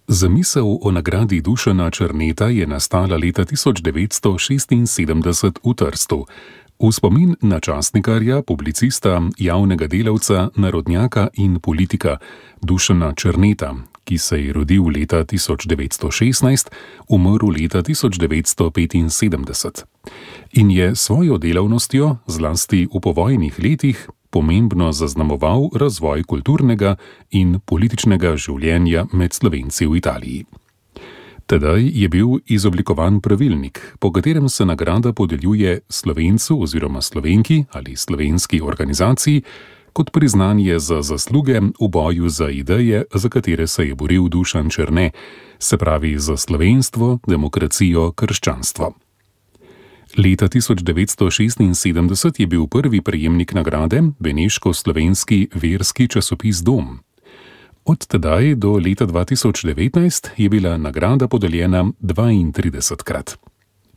Zamisel o nagradi Dušana Černeta je nastala leta 1976 v Trstu. V spomin na časnikarja, publicista, javnega delavca, narodnjaka in politika Dušana Černeta, ki se je rodil leta 1916, umrl leta 1975 in je svojo delavnostjo, zlasti v povojnih letih, pomembno zaznamoval razvoj kulturnega in političnega življenja med Slovenci v Italiji. Tedaj je bil izoblikovan pravilnik, po katerem se nagrada podeljuje Slovencu oziroma Slovenki ali slovenski organizaciji kot priznanje za zasluge v boju za ideje, za katere se je boril Dušan Černe, se pravi za slovenstvo, demokracijo, krščanstvo. Leta 1976 je bil prvi prejemnik nagrade beneško-slovenski verski časopis Dom. Od tedaj do leta 2019 je bila nagrada podeljena 32-krat.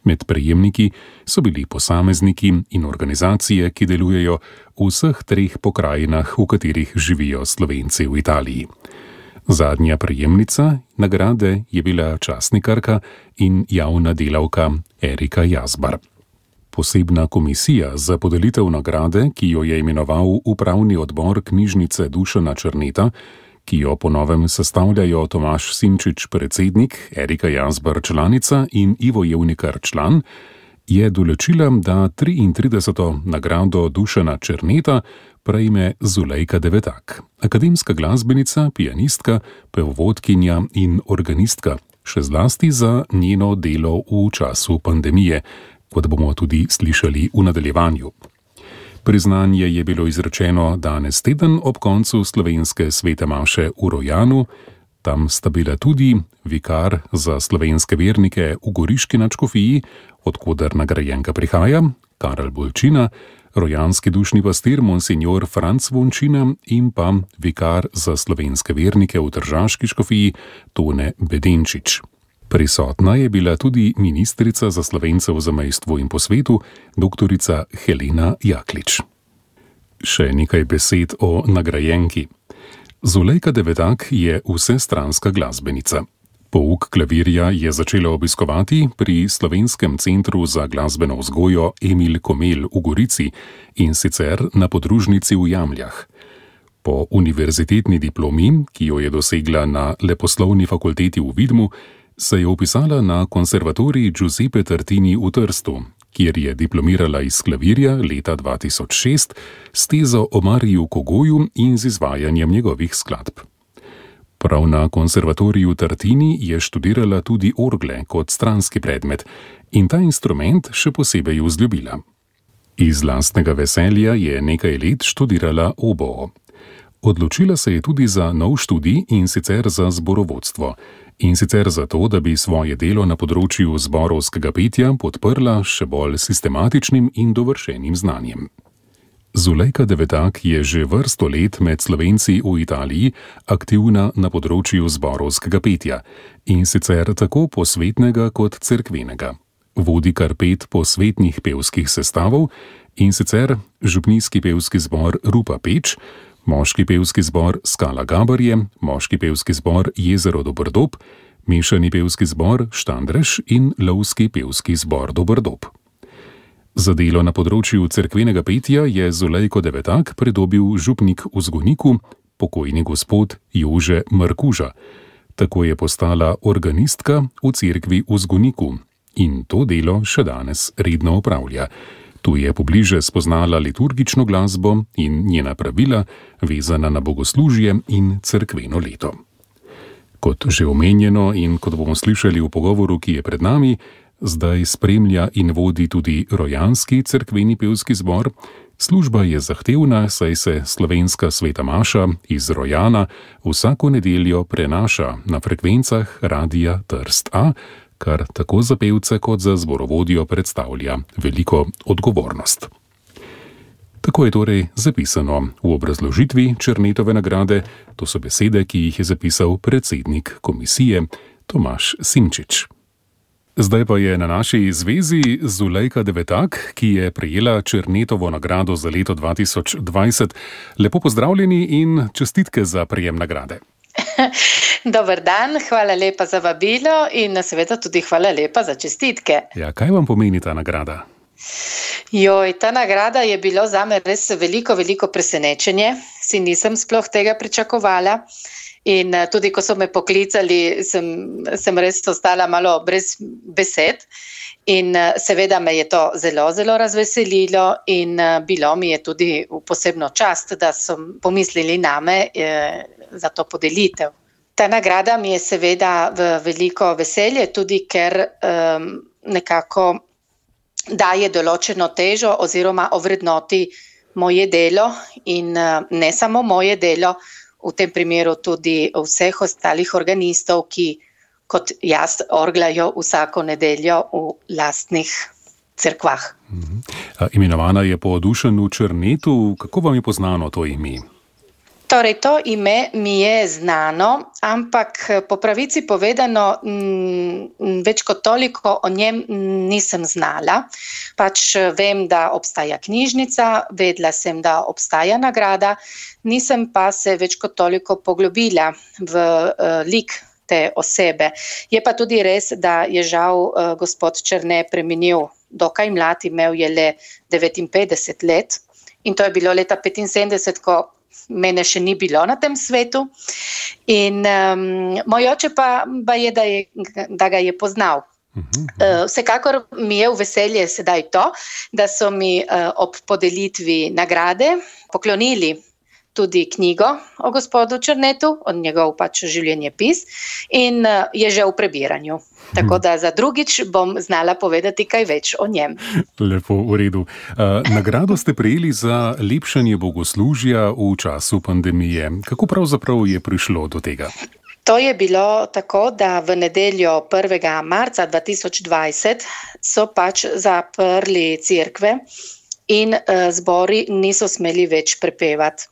Med prejemniki so bili posamezniki in organizacije, ki delujejo v vseh treh pokrajinah, v katerih živijo Slovenci v Italiji. Zadnja prejemnica nagrade je bila časnikarka in javna delavka Erika Jazbar. Posebna komisija za podelitev nagrade, ki jo je imenoval upravni odbor knjižnice Dušana Černeta, ki jo po novem sestavljajo Tomaž Simčič predsednik, Erika Jazbar članica in Ivo Jevnikar član, je določila, da 33. nagrado Dušana Černeta prejme Zulejka Devetak, akademska glasbenica, pianistka, pevovodkinja in organistka, še zlasti za njeno delo v času pandemije, kot bomo tudi slišali v nadaljevanju. Priznanje je bilo izrečeno danes teden ob koncu slovenske svete maše v Rojanu. Tam sta bila tudi vikar za slovenske vernike v Goriški nadškofiji, odkoder nagrajenka prihaja, Karel Bolčina, rojanski dušni pastir monsignor Franc Vončina in pa vikar za slovenske vernike v Tržaški škofiji Tone Bedenčič. Prisotna je bila tudi ministrica za Slovence v zamejstvu in po svetu, doktorica Helena Jaklič. Še nekaj besed o nagrajenki. Zulejka Devetak je vsestranska glasbenica. Pouk klavirja je začela obiskovati pri Slovenskem centru za glasbeno vzgojo Emil Komel v Gorici in sicer na podružnici v Jamljah. Po univerzitetni diplomi, ki jo je dosegla na Leposlovni fakulteti v Vidmu, se je vpisala na konservatorij Giuseppe Tartini v Trstu, kjer je diplomirala iz klavirja leta 2006 s tezo o Mariju Kogoju in z izvajanjem njegovih skladb. Prav na konservatoriju Tartini je študirala tudi orgle kot stranski predmet in ta instrument še posebej vzljubila. Iz lastnega veselja je nekaj let študirala oboo. Odločila se je tudi za nov študij in sicer za zborovodstvo. In sicer zato, da bi svoje delo na področju zborovskega petja podprla še bolj sistematičnim in dovršenim znanjem. Zulejka Devetak je že vrsto let med Slovenci v Italiji aktivna na področju zborovskega petja, in sicer tako posvetnega kot cerkvenega. Vodi kar 5 posvetnih pevskih sestavov, in sicer župnijski pevski zbor Rupa Peč, moški pevski zbor Skala Gabarje, moški pevski zbor Jezero Dobrdob, mešani pevski zbor Štandreš in lovski pevski zbor Dobrdob. Za delo na področju cerkvenega petja je Zulejko Devetak pridobil župnik v Zgoniku, pokojni gospod Jože Markuža. Tako je postala organistka v cerkvi v Zgoniku in to delo še danes redno opravlja. Tu je pobliže spoznala liturgično glasbo in njena pravila, vezana na bogoslužje in cerkveno leto. Kot že omenjeno in kot bomo slišali v pogovoru, ki je pred nami, zdaj spremlja in vodi tudi rojanski cerkveni pevski zbor. Služba je zahtevna, saj se slovenska sveta maša iz Rojana vsako nedeljo prenaša na frekvencah Radia Trst A, kar tako za pevce kot za zborovodjo predstavlja veliko odgovornost. Tako je torej zapisano v obrazložitvi Černetove nagrade, to so besede, ki jih je zapisal predsednik komisije Tomaž Simčič. Zdaj pa je na naši zvezi Zulejka Devetak, ki je prejela Černetovo nagrado za leto 2020. Lepo pozdravljeni in čestitke za prejem nagrade. Dober dan, hvala lepa za vabilo in seveda tudi hvala lepa za čestitke. Ja, kaj vam pomeni ta nagrada? Ta nagrada je bilo zame res veliko presenečenje. Si nisem sploh tega pričakovala. In tudi, ko so me poklicali, sem res ostala malo brez besed. In seveda me je to zelo razveselilo in bilo mi je tudi v posebno čast, da so pomislili name za to podelitev. Ta nagrada mi je seveda v veliko veselje, tudi ker nekako daje določeno težo oziroma ovrednoti moje delo in ne samo moje delo, v tem primeru tudi vseh ostalih organistov, ki kot jaz orglajo vsako nedeljo v lastnih cerkvah. Imenovana je po Dušanu Černetu. Kako vam je poznano to ime? Torej, to ime mi je znano, ampak po pravici povedano, več kot toliko o njem nisem znala. Pač vem, da obstaja knjižnica, vedela sem, da obstaja nagrada, nisem pa se več kot toliko poglobila v lik te osebe. Je pa tudi res, da je žal gospod Černe preminil dokaj mlad, imel je le 59 let in to je bilo leta 75, ko mene še ni bilo na tem svetu. In moj oče pa je, da ga je poznal. Vsekakor mi je v veselje sedaj to, da so mi ob podelitvi nagrade poklonili tudi knjigo o gospodu Černetu, od njegov pač življenjepis in je že v prebiranju. Tako da za drugič bom znala povedati kaj več o njem. Lepo, v redu. Nagrado ste prejeli za lepšanje bogoslužja v času pandemije. Kako pravzaprav je prišlo do tega? To je bilo tako, da v nedeljo 1. marca 2020 so pač zaprli cerkve in zbori niso smeli več prepevati.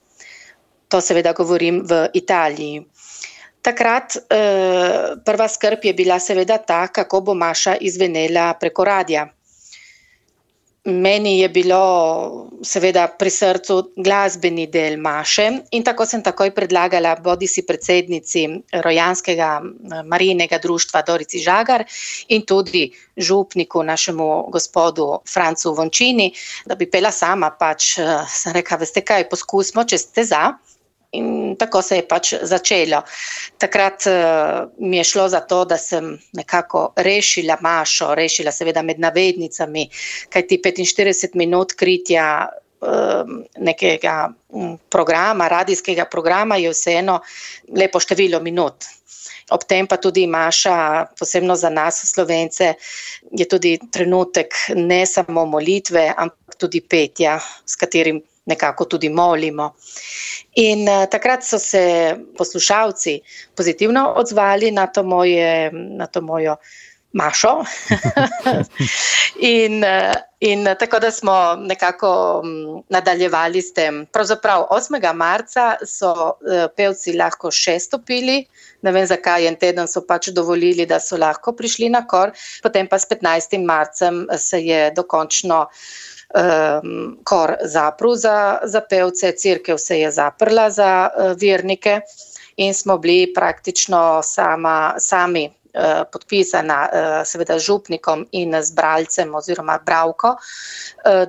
To seveda govorim v Italiji. Takrat prva skrb je bila seveda ta, kako bo maša izvenela preko radia. Meni je bilo seveda pri srcu glasbeni del maše in tako sem takoj predlagala bodisi predsednici Rojanskega Marijinega društva Dorici Žagar in tudi župniku našemu gospodu Francu Vončini, da bi pela sama, pač sem rekla, veste kaj, poskusimo, če ste za. In tako se je pač začelo. Takrat mi je šlo za to, da sem nekako rešila mašo, rešila seveda med navednicami, kajti 45 minut kritja nekega programa, radijskega programa je vseeno lepo število minut. Ob tem pa tudi maša, posebno za nas Slovence, je tudi trenutek ne samo molitve, ampak tudi petja, s katerim nekako tudi molimo. In takrat so se poslušalci pozitivno odzvali na to mojo mašo. in tako da smo nekako nadaljevali s tem. Pravzaprav 8. marca so pevci lahko še stopili, ne vem zakaj, en teden so pač dovolili, da so lahko prišli na kor, potem pa s 15. marcem se je dokončno kor zaprl za pevce, cerkev se je zaprla za vernike in smo bili praktično sami podpisana seveda z župnikom in z bralcem oziroma bralko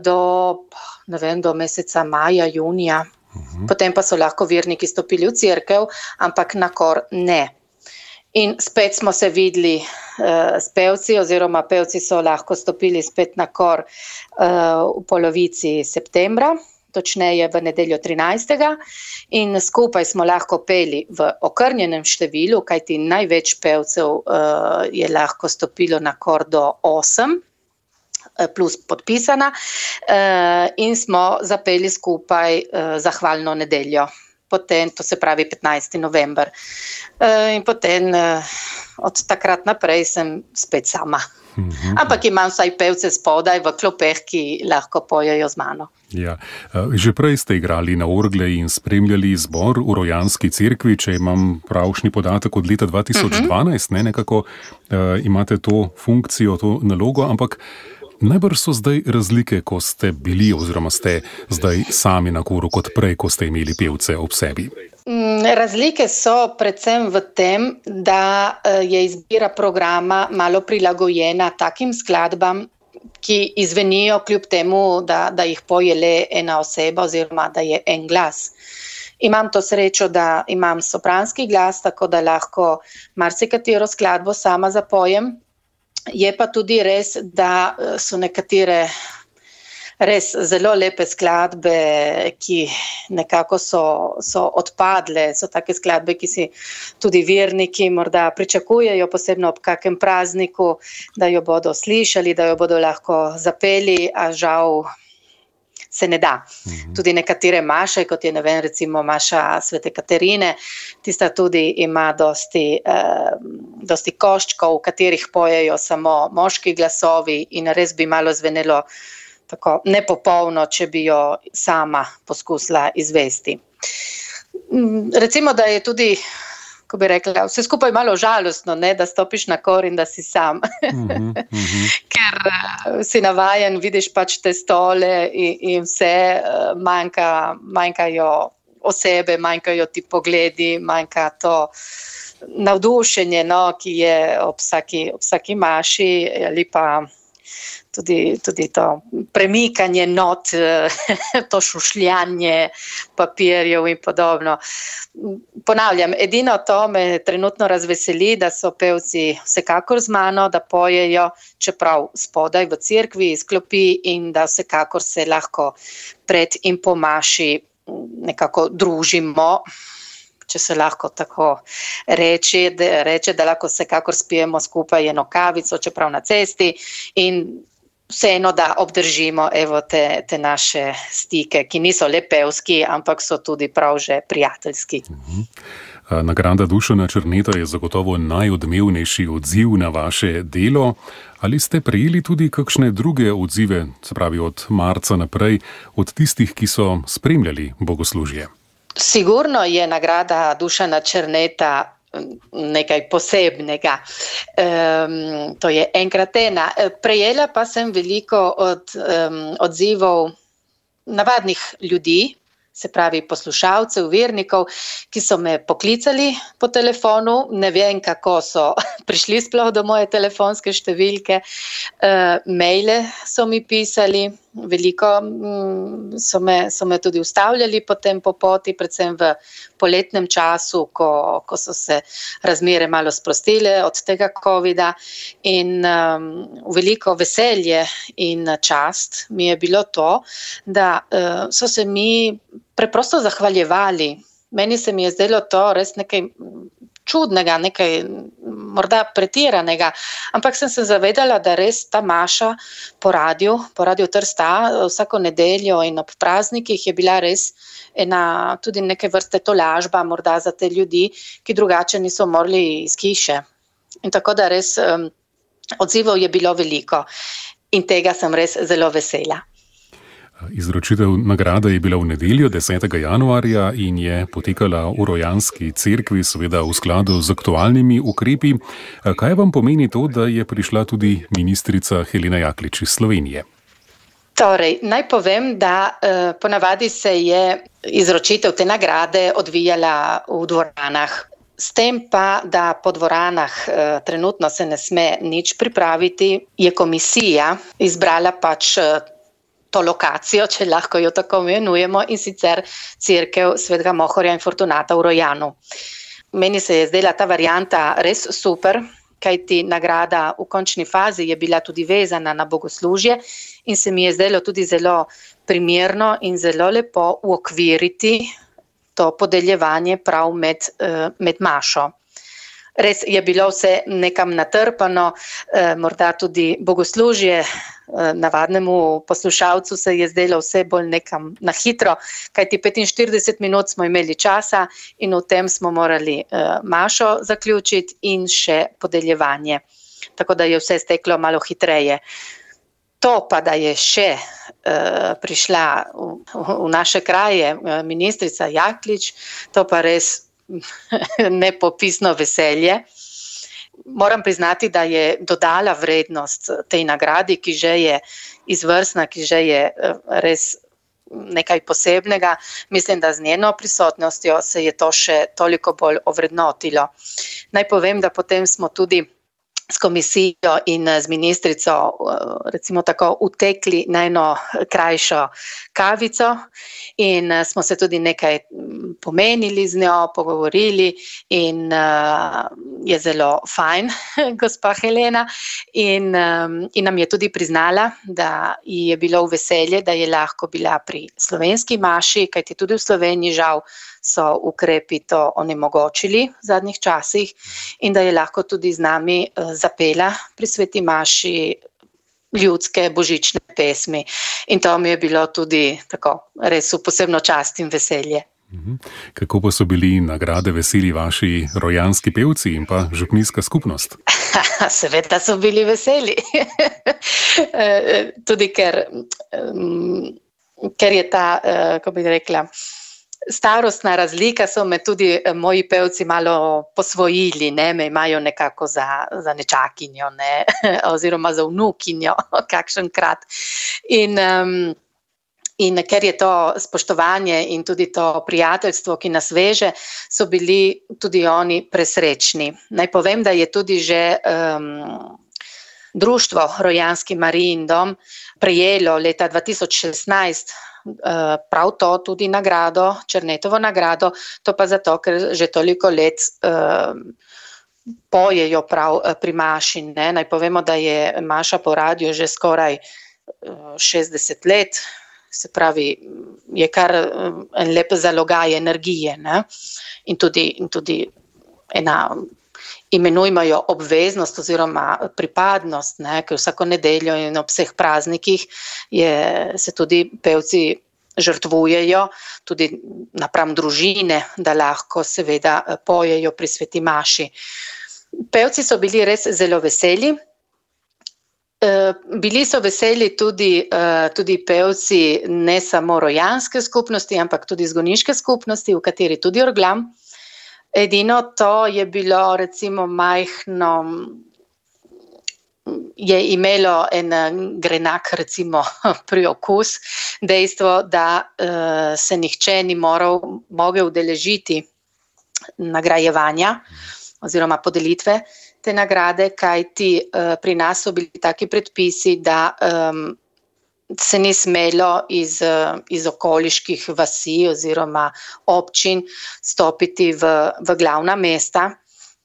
do meseca maja, junija. Potem pa so lahko verniki stopili v cerkev, ampak na kor ne. In spet smo se videli s pevci, oziroma pevci so lahko stopili spet na kor v polovici septembra, točneje v nedeljo 13. In skupaj smo lahko peli v okrnjenem številu, kajti največ pevcev je lahko stopilo na kor do 8, plus podpisana, in smo zapeli skupaj zahvalno nedeljo. Potem, to se pravi 15. november. In potem od takrat naprej sem spet sama. Ampak imam vsaj pevce spodaj v klopeh, ki lahko pojejo z mano. Ja. Že prej ste igrali na orgle in spremljali zbor v Rojanski cerkvi, če imam pravšnji podatek od leta 2012, nekako imate to funkcijo, to nalogo, ampak Najbrž so zdaj razlike, ko ste bili oziroma ste zdaj sami na koru kot prej, ko ste imeli pevce ob sebi. Razlike so predvsem v tem, da je izbira programa malo prilagojena takim skladbam, ki izvenijo kljub temu, da jih poje le ena oseba oziroma da je en glas. Imam to srečo, da imam sopranski glas, tako da lahko marsikatero skladbo sama zapojem. Je pa tudi res, da so nekatere res zelo lepe skladbe, ki nekako so odpadle, so take skladbe, ki si tudi verniki morda pričakujejo, posebno ob kakem prazniku, da jo bodo slišali, da jo bodo lahko zapeli, a žal se ne da. Tudi nekatere maše, kot je, recimo Maša Svete Katarine, tista tudi ima dosti koščkov, v katerih pojejo samo moški glasovi in res bi malo zvenelo tako nepopolno, če bi jo sama poskusila izvesti. Recimo, da je tudi, ko bi rekla, vse skupaj malo žalostno, ne, da stopiš na kor in da si sam. Ker si navajen, vidiš pač te stole in vse, manjkajo osebe, manjkajo ti pogledi, manjka to navdušenje, no, ki je ob vsaki maši, ali pa tudi to premikanje not, to šušljanje papirjev in podobno. Ponavljam, edino to me trenutno razveseli, da so pevci vsekakor z mano, da pojejo, čeprav spodaj v cerkvi iz klopi, in da vsekakor se lahko pred in po maši nekako družimo, če se lahko tako reče, da lahko vsekakor spijemo skupaj eno kavico, čeprav na cesti, in vseeno, da obdržimo te naše stike, ki niso le pevski, ampak so tudi prav že prijateljski. Nagrada Dušana Černeta je zagotovo najodmevnejši odziv na vaše delo. Ali ste prejeli tudi kakšne druge odzive, se pravi od marca naprej, od tistih, ki so spremljali bogoslužje? Sigurno je nagrada Dušana Černeta nekaj posebnega. To je enkrat ena. Prejela pa sem veliko odzivov navadnih ljudi, se pravi poslušalcev, vernikov, ki so me poklicali po telefonu. Ne vem, kako so prišli sploh do moje telefonske številke. Maile so mi pisali, veliko so me tudi ustavljali potem po poti, predvsem v poletnem času, ko so se razmere malo sprostile od tega covida, in veliko veselje in čast mi je bilo to, da so se mi preprosto zahvaljevali. Meni se mi je zdelo to res nekaj čudnega, nekaj morda pretiranega, ampak sem se zavedala, da res ta maša po radiu Trsta vsako nedeljo in ob praznikih je bila res tudi neke vrste tolažba morda za te ljudi, ki drugače niso morali iz hiše. In tako da res odzivov je bilo veliko in tega sem res zelo vesela. Izročitev nagrade je bila v nedeljo 10. januarja in je potekala v Rojanski cerkvi, seveda v skladu z aktualnimi ukrepi. Kaj vam pomeni to, da je prišla tudi ministrica Helena Jaklič iz Slovenije? Torej, naj povem, da ponavadi se je izročitev te nagrade odvijala v dvoranah. S tem pa, da po dvoranah trenutno se ne sme nič pripraviti, je komisija izbrala pač to lokacijo, če lahko jo tako imenujemo, in sicer cerkev Svetega Mohorja in Fortunata v Rojanu. Meni se je zdela ta varianta res super, kajti nagrada v končni fazi je bila tudi vezana na bogoslužje in se mi je zdelo tudi zelo primerno in zelo lepo uokviriti to podeljevanje prav med mašo. Res je bilo vse nekam natrpano, morda tudi bogoslužje navadnemu poslušalcu se je zdelo vse bolj nekam na hitro, kajti 45 minut smo imeli časa in v tem smo morali mašo zaključiti in še podeljevanje. Tako da je vse steklo malo hitreje. To pa, da je še prišla v naše kraje ministrica Jaklič, to pa res nepopisno veselje. moram priznati, da je dodala vrednost tej nagradi, ki že je izvrstna, ki že je res nekaj posebnega. Mislim, da z njeno prisotnostjo se je to še toliko bolj ovrednotilo. Naj povem, da potem smo tudi s komisijo in z ministrico recimo tako utekli na eno krajšo kavico in smo se tudi nekaj pomenili z njo, pogovorili in je zelo fajn, gospa Helena, in nam je tudi priznala, da ji je bilo v veselje, da je lahko bila pri slovenski maši, kajti tudi v Sloveniji žal so ukrepi to onemogočili v zadnjih časih in da je lahko tudi z nami zapela pri sveti maši ljudske božične pesmi. In to mi je bilo tudi tako res v posebno čast in veselje. Kako pa so bili nagrade veseli vaši rojanski pevci in pa župnijska skupnost? Seveda so bili veseli. Tudi ker je ta, kako bi rekla, starostna razlika, so me tudi moji pevci malo posvojili, ne, me imajo nekako za nečakinjo, ne, oziroma za vnukinjo, kakšenkrat. In ker je to spoštovanje in tudi to prijateljstvo, ki nas veže, so bili tudi oni presrečni. Naj povem, da je tudi že društvo Rojanski Marijin dom prejelo leta 2016 prav to tudi nagrado, Černetovo nagrado, to pa zato, ker že toliko let pojejo prav pri maši. Ne? Naj povemo, da je maša po radiju že skoraj 60 let, se pravi, je kar en lep zalogaj energije, ne? In tudi ena, imenujmo jo obveznost oziroma pripadnost, ne? Ker vsako nedeljo in ob vseh praznikih se tudi pevci žrtvujejo, tudi napram družine, da lahko seveda pojejo pri sveti maši. Pevci so bili res zelo veseli. Bili so veseli tudi pevci ne samo rojanske skupnosti, ampak tudi zgoniške skupnosti, v kateri tudi orglam. Edino to je bilo recimo majhno, je imelo en grenak recimo priokus, dejstvo, da se nihče ni mogel udeležiti nagrajevanja oziroma podelitve te nagrade, kajti pri nas so bili taki predpisi, da se ni smelo iz okoliških vasi oziroma občin stopiti v glavna mesta,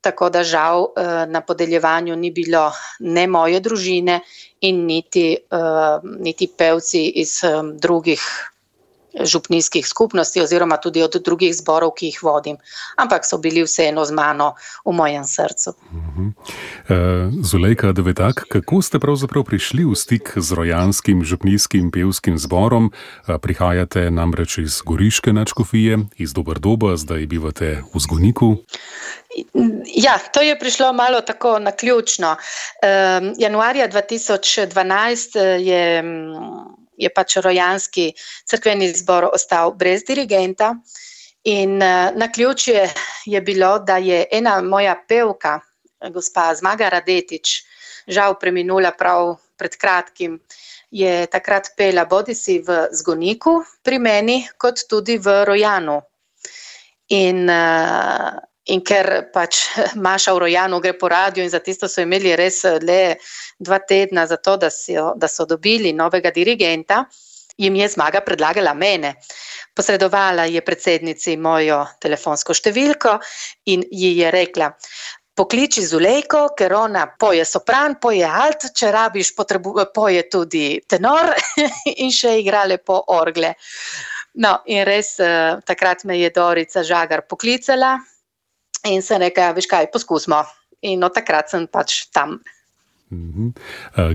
tako da žal na podeljevanju ni bilo ne moje družine in niti pevci iz drugih župnijskih skupnosti oziroma tudi od drugih zborov, ki jih vodim. Ampak so bili vseeno z mano v mojem srcu. Zulejka Devetak, kako ste pravzaprav prišli v stik z rojanskim župnijskim pevskim zborom? Prihajate namreč iz Goriške nadškofije, iz Doberdoba, zdaj bivate v Zgoniku. Ja, to je prišlo malo tako naključno. Januarja 2012 je pač rojanski cerkveni zbor ostal brez dirigenta in naključje je bilo, da je ena moja pevka, gospa Zmaga Radetič, žal preminula prav pred kratkim, je takrat pela bodisi v Zgoniku pri meni, kot tudi v Rojanu. In ker pač maša v Rojanu gre po radiju in za tisto so imeli res le 2 tedna za to, da so dobili novega dirigenta, jim je Zmaga predlagala mene. Posredovala je predsednici mojo telefonsko številko in ji je rekla: pokliči Zulejko, ker ona poje sopran, poje alt, če rabiš, poje tudi tenor in še igra lepo orgle. No, in res takrat me je Dorica Žagar poklicala in sem rekla, veš kaj, poskusimo. In od takrat sem pač tam.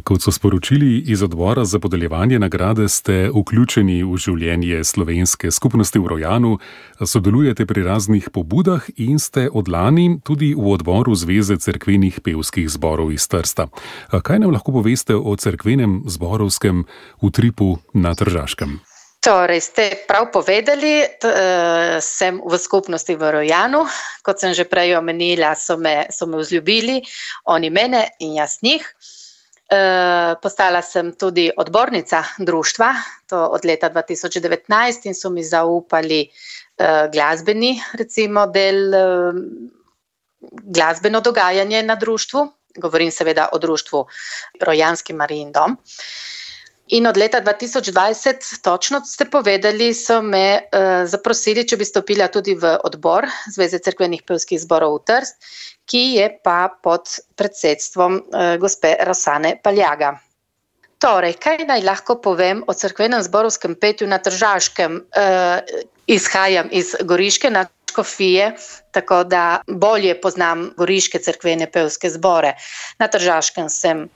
Kot so sporočili iz odbora za podeljevanje nagrade, ste vključeni v življenje slovenske skupnosti v Rojanu, sodelujete pri raznih pobudah in ste od lani tudi v odboru Zveze cerkvenih pevskih zborov iz Trsta. Kaj nam lahko poveste o cerkvenem zborovskem utripu na Tržaškem? Torej, ste prav povedali, sem v skupnosti v Rojanu. Kot sem že prej omenila, so me vzljubili, oni mene in jaz njih. Postala sem tudi odbornica društva, to od leta 2019, in so mi zaupali glasbeni, recimo, del, glasbeno dogajanje na društvu. Govorim seveda o društvu Rojanski Marijin dom. In od leta 2020, točno ste povedali, so me zaprosili, če bi stopila tudi v odbor Zveze cerkvenih pevskih zborov v Trst, ki je pa pod predsedstvom gospe Rosane Paljaga. Torej, kaj naj lahko povem o cerkvenem zborovskem petju na Tržaškem? Izhajam iz goriške nadškofije, tako da bolje poznam goriške cerkvene pevske zbore. Na Tržaškem sem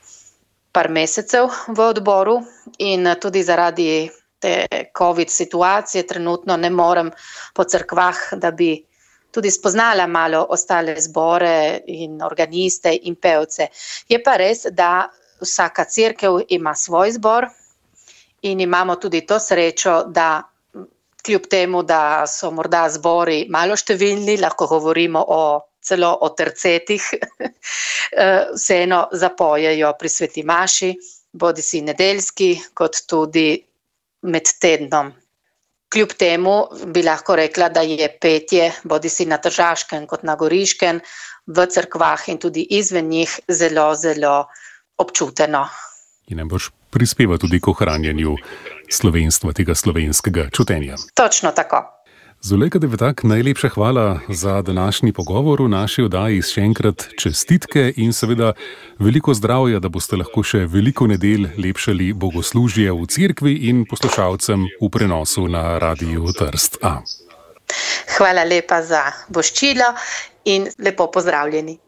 par mesecev v odboru in tudi zaradi te COVID situacije trenutno ne morem po cerkvah, da bi tudi spoznala malo ostale zbore in organiste in pevce. Je pa res, da vsaka cerkev ima svoj zbor in imamo tudi to srečo, da kljub temu, da so morda zbori malo številni, lahko govorimo celo o tercetih, vseeno zapojejo pri sveti maši, bodisi nedeljski, kot tudi med tednom. Kljub temu bi lahko rekla, da je petje bodisi na Tržaškem kot na Goriškem, v cerkvah in tudi izven njih zelo, zelo občuteno. In najbrž prispeva tudi k ohranjanju slovenstva, tega slovenskega čutenja. Točno tako. Zulejka Devetak, najlepša hvala za današnji pogovor v naši oddaji. Še enkrat čestitke in seveda veliko zdravja, da boste lahko še veliko nedelj lepšali bogoslužje v cerkvi in poslušalcem v prenosu na Radiu Trst. Hvala lepa za voščilo in lepo pozdravljeni.